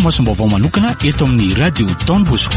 fanarahamasom-baovao manokana eto amin'ny Radio Don Bosco.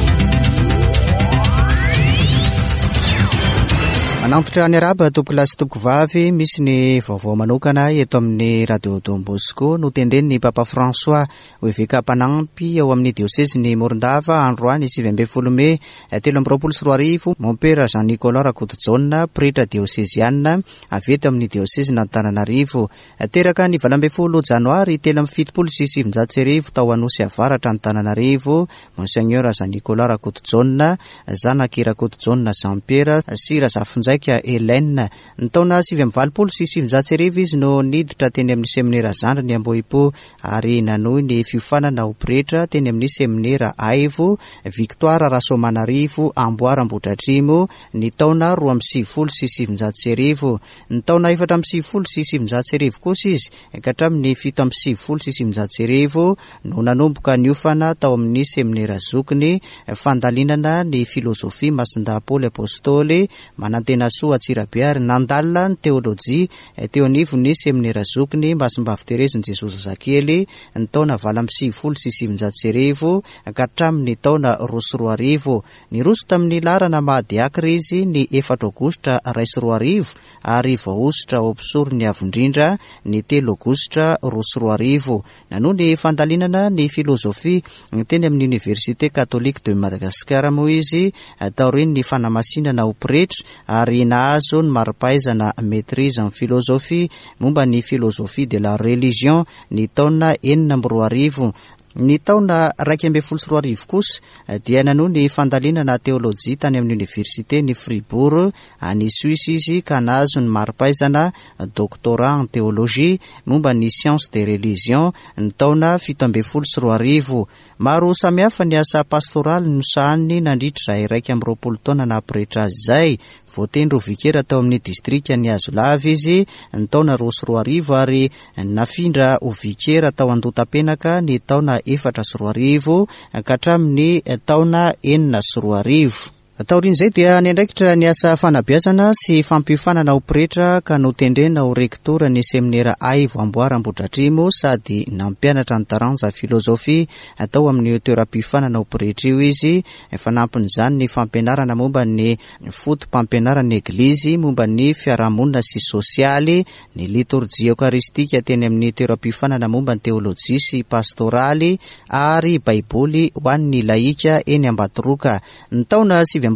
Manantitra ny araba tompokolahy sy tompokovavy, misy ny vaovao manokana eto amin'ny Radio Don Bosco notendren'ny Papa François ho eveka mpanampy ao amin'ny diosezin'i Morondava androany 19 mey 2023, Mompera Jean Nicolas Rakotojaona, pretra dioseziana avy eto amin'ny diosezin'Antananarivo. Teraka ny 18 janoary 1973 tao Anosy Avaratra Antananarivo, Monseigneur Jean Nicolas Rakotojaona, zanak'i Rakotojaona Jean Pierre sy Razafinjaika Hélène. Ny taona 1989 izy no niditra teny amin'ny seminera zandriny Ambohipo ary nanohy ny fiofanana ho pretra teny amin'ny seminera Aivo Victoire Rasoamanarivo Amboara Ambohidratrimo ny taona 1992. Ny taona 1994 kosa izy ka hatramin'ny 1997 no nanomboka niofana tao amin'ny seminera zokiny fandalinana ny filozofia Masindahy Paoly Apostoly Manantenasoa Antsirabe ary nandalina ny teolojia teo anivon'ny seminera zokiny Masimbavy Terezin'i Jesoa Zazakely ny taona 1998 ka hatramin'ny taona 2002. Niroso tamin'ny laharana maha diakra izy ny efatra aogositra 2001 ary voahosotra ho mpisoron'ny Avo Indrindra ny telo aogositra 2002. Nanohy ny fandalinana ny filozofia teny amin'ny Université Catholique de Madagascar moa izy taorian'ny fanamasinana ho pretra ary nahazo ny mari-pahaizana Maîtrise en philosophie momba ny philosophie de la religion ny taona 2006. Ny taona 2011 kosa dia nanohy ny fandalinana teolojia tany amin'ny Oniversiten'i Fribourg any Suisse izy ka nahazo ny mari-pahaizana Doctorat en théologie momba ny sciences des religions ny taona 2017. Maro samihafa ny asa pastoraly nosahaniny nandritra izay 21 taona naha pretra azy izay. Voatendry ho vikera tao amin'ny distrikan'i Hazolava izy ny taona 2002 ary nafindra ho vikera tao Andohatapenaka ny taona 2004 ka hatramin'ny taona 2006. Taorian'izay dia niandraikitra ny asa fanabeazana sy fampiofanana ho pretra ka notendrena ho rektora ny seminera Aivo Amboara Ambohidratrimo sady nampianatra ny taranja filozofia tao amin'io toeram-piofanana ho pretra io izy. Fanampin'izany ny fampianarana momba ny foto-pampianaran'ny Eglizy momba ny fiarahamonina sy sosialy, ny litorjia eokaristika teny amin'ny toeram-piofanana momba ny teolojia sy pastoraly ary Baiboly ho an'ny lahika eny Ambatoroka. Ny taona 2009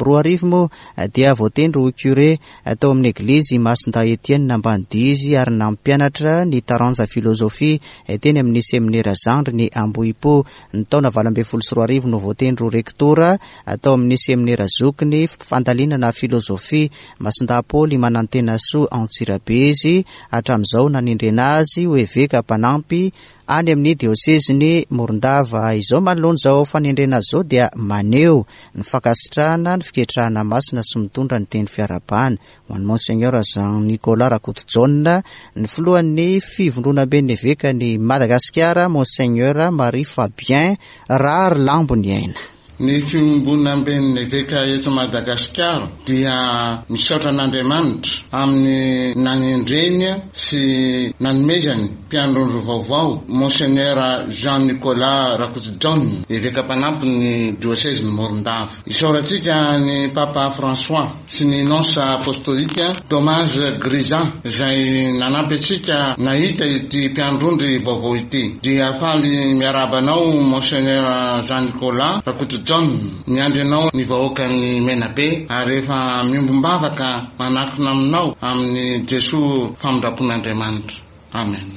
moa dia voatendry ho curé tao amin'ny Eglizy Masindahy Etienne Ambanidia izy ary nampianatra ny taranja filozofia teny amin'ny seminera zandriny Ambohipo. Ny taona 2018 no voatendry ho rektora tao amin'ny seminera zokiny fandalinana filozofia Masindahy Paoly Manantenasoa Antsirabe izy hatramin'izao nanendrena azy ho eveka mpanampy any amin'ny diosezin'i Morondava. Izao manoloana izao fanendrena azy izao dia maneho ny fankasitrahana ny fiketrahana masina sy mitondra ny teny fiarahabana ho an'i Monseigneur Jean Nicolas Rakotojaona, ny filohan'ny Fivondronamben'ny Evekan'i Madagasikara, Monseigneur Marie Fabien Raharilamboniaina. Ny Fiombonamben'ny Eveka eto Madagasikara dia misaotra an'Andriamanitra amin'ny nanendreny sy nanomezany mpiandrondro vaovao, Monseigneur Jean Nicolas Rakotojaona, Eveka mpanampy ny diosezin'i Morondava. Isaorantsika ny Papa François sy ny Nonce Apostolika Tomaz Griza izay nanampy antsika nahita ity mpiandrondry vaovao ity. Dia faly miarahaba anao Monseigneur Jean Nicolas Rakotojaona. Miandry anao ny vahoakan'i Menabe ary efa miombom-bavaka manatona aminao amin'i Jesoa famindram-pon'Andriamanitra. Amen.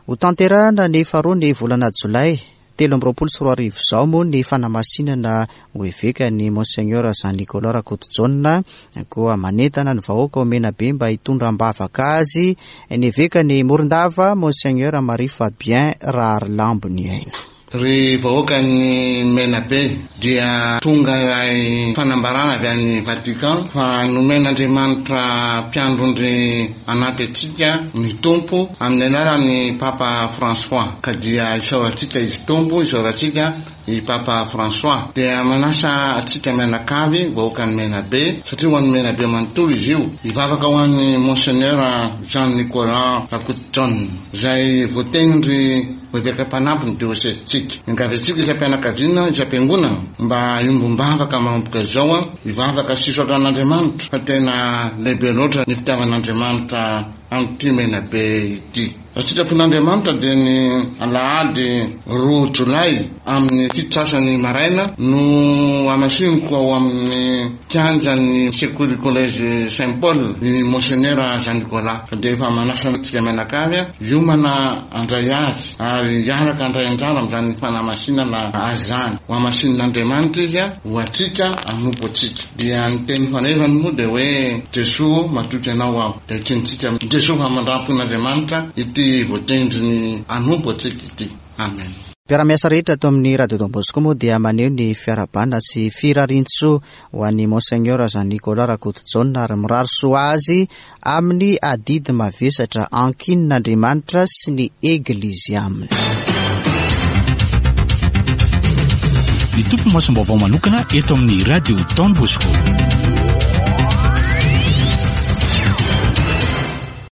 Hotanterahina ny faharoa ny volana jolay 2023 izao moa ny fanamasinana ho eveka ny Monseigneur Jean Nicolas Rakotojaona, koa manentana ny vahoaka ao Menabe mba hitondra am-bavaka azy ny evekan'i Morondava, Monseigneur Marie Fabien Raharilamboniaina. Ry vahoakan'i Menabe, dia tonga ilay fanambarana avy any Vatican fa nomen'Andriamanitra mpiandrondry hanampy antsika ny Tompo amin'ny alalan'ny Papa François. Ka dia isaorantsika Izy Tompo, isaorantsika. i Papa François. Dia manasa antsika mianakavy, vahoakan'i Menabe, satria ho an'i Menabe manontolo izy io, hivavaka ho an'i Monseigneur Jean Nicolas Rakotojaona, izay voatendry ho eveka mpanampy ny diosezintsika. Miangavy antsika isam-pianakaviana, isam-piangonana, mba hiombom-bavaka manomboka izao, hivavaka sy hisaotra an'Andriamanitra fa tena lehibe loatra ny fitiavan'Andriamanitra amin'ity Menabe ity. Raha sitrapon'Andriamanitra dia ny alahady roa jolay amin'ny fito sasany maraina no hamasiniko ao amin'ny kianjan'ny sekoly collège Saint Paul ny Monsenera Jean Nicolas ka dia efa manasa antsika mianakavy hiomana handray azy ary hiaraka handray anjara amin'izany fanamasinana azy izany. Ho hamasinin'Andriamanitra izy ho antsika hanompo antsika. Dia ny teny fanevany moa dia hoe Jesoa ô, matoky Anao aho. Dia ekentsika amin'i Jesoa famindram-pon'Andriamanitra ity voatendriny hanompo antsika ity. Amen. Mpiara-miasa rehetra ato amin'ny Radio Don Bosco moa dia maneho ny fiarahabana sy firarian-tsoa ho an'i Monseigneur Jean Nicolas Rakotojaona ary mirary soa azy amin'ny adidy mavesatra ankinin'Andriamanitra sy ny Eglizy aminy. Ny topi-masom-baovao manokana eto amin'ny Radio Don Bosco.